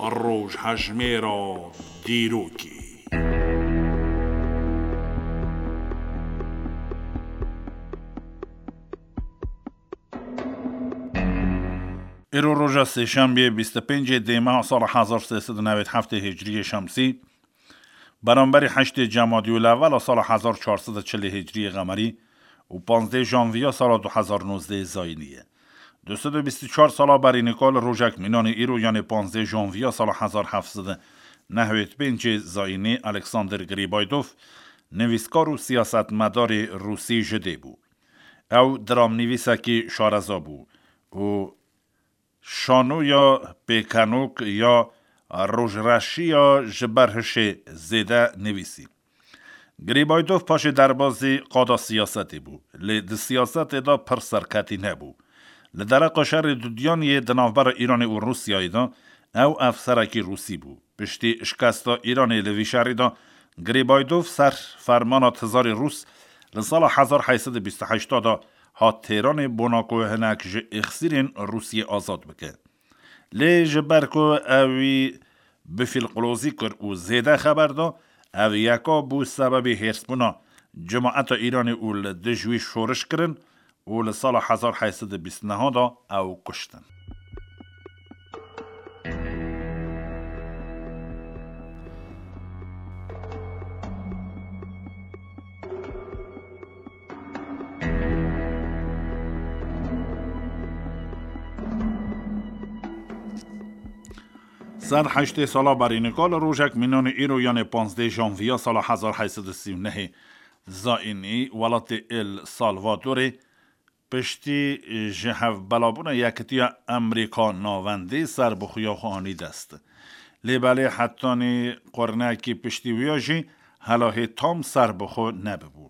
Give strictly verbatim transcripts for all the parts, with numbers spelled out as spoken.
Rojhejmêra dîrokê. Îro roja sêşembiyê bîst û pêncê dê meha sala hezar sê sed û newêd heftê hicriyê şemsî, beramberî heştê Cemadî û lewela sala hezar çar sed û çilê hicriyê qemerî û panzdê janviya sala du hezar nozdeh zayînî ye. Du sed û bîst û çar sala berî nika li rojek mînanê îro, yanê panzdê janviya sala hezar heft sed û newêd pêncê zayînî, Alexander Gribaydov, nivîskar û siyasetmedarê rûsî ji dê bû. Ew dramnivîsekî şareza bû û şanoya pêkenok ya rojreşiya ji ber hişê zêde nivîsî. Grîbaydov paşê derbazî qada siyasetê bû, lê di siyasetê de pir serketî nebû. Li dereqa şerê dudiyan yê di navbera Îranê û Rûsyayê de ew efserekî rûsî bû. Piştî şikesta Îranê li vî şerî de Grîbaydov ser fermana tizarê rûs li sala hezar heyt sed û bîst û heşt de hat Têranê bona ku hinek ji îxsîrên Rûsiyê azad bike. Lê ji ber ku ewî bifîlqilozî kir û zêde xeber da, ev yeka bû sebebê hêrsbûna cemaeta Îranê û li dij wî şoriş kirin û li sala hezar heyt sed û bîst neh de ew kuştin. Sed heştê sala berî nika li rojek mînanê îro, yanê panzdeh janviya sala hezar heyt sed û sî û nehê zayînî, welatê El Salvadorê piştî ji hevbelabûna Yekitiya Amerîka Navendî serbixwiya xwe anî dest. Lê belê hetanî qurnekî piştî wiya jî helahê tam serbixwe nebibû.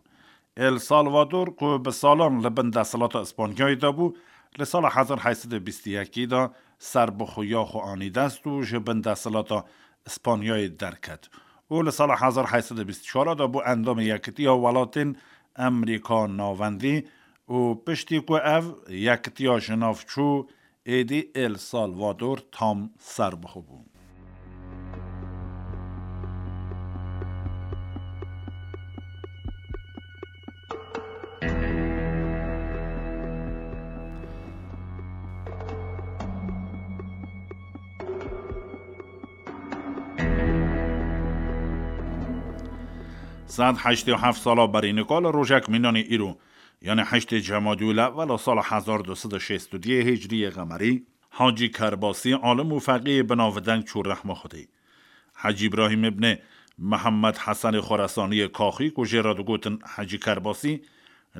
El Salvador ku bi salan li bin desthilata Îspanyayê de bû, li sala hezar heyt sed û bîst û yekê de serbixwiya xwe anî dest û ji bin desthilata Îspanyayê derket û li sala hezar heyt sed û bîst û çar de bû endamê Yekitiya Welatên Amerîka Navendî û piştî ku ev yekitiya ji nav çû, êdî El Salvador tam serbixwe bû. Sed heştê û heft sala berî nika li rojek mînanê îro, yanê heştê Cemadî û lewela sala hezar du sed û şêst û duyê Hicriyê Qemerî, Hacî Kerbasî, alim û feqîyê binavdeng çû rehma Xwedê. Hecî Îbrahîm îbnê Mihemed Hesenê Xoresaniyê Kaxî, ku jê re digotin Hecî Kerbasî,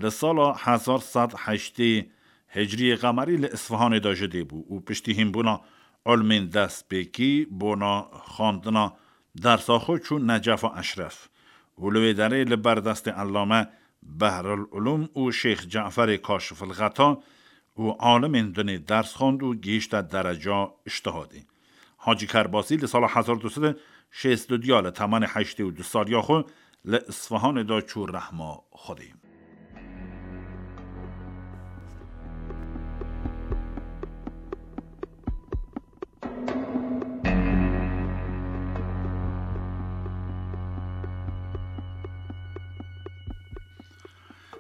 li sala hezar sed heştê Hicriyê Qemerî li Isfihanê de ji dê bû û piştî hînbûna ilmên destpêkî bona xwendina dersa xwe çû Necefa Eşref û li wê derê li ber destê Ellame Behrul Ulûm û Şêx Caferê Kaşifil Xeta û alimên dinê ders xwend û gihîşte dereca îctihadê. Hacî Kerbasî li sala hezar du sed û şêst û du ya li temenê heştê û du saliya xwe li Isfihanê de çû rehma Xwedê.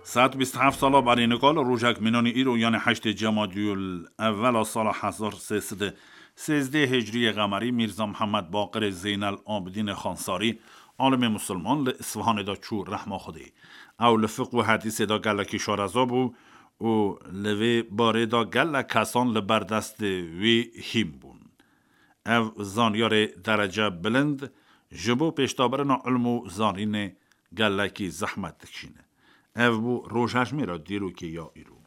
Sed bîst heft sala berî nika li rojek mînanî îro, yanê heştê Cemadî û evvela sala hezar sê sed û sêzdeh Hicriyê Qemerî, Mîrza Mihemed Baqirê Zeynel Abidînê Xansarî, alimê musulman, li Isfihanê de çû rehma Xwedê. Ew li fiq û hedîsê de gelekî şareza bû û li vê barê de gelek kesan li ber destê wî hîn bûn. Ev zanyarê derece bilind ji bo pêşdabirina ilm û zanînê gelekî zehmet dikişîne. Ev bû rojhejmêra dîrokê ya îro.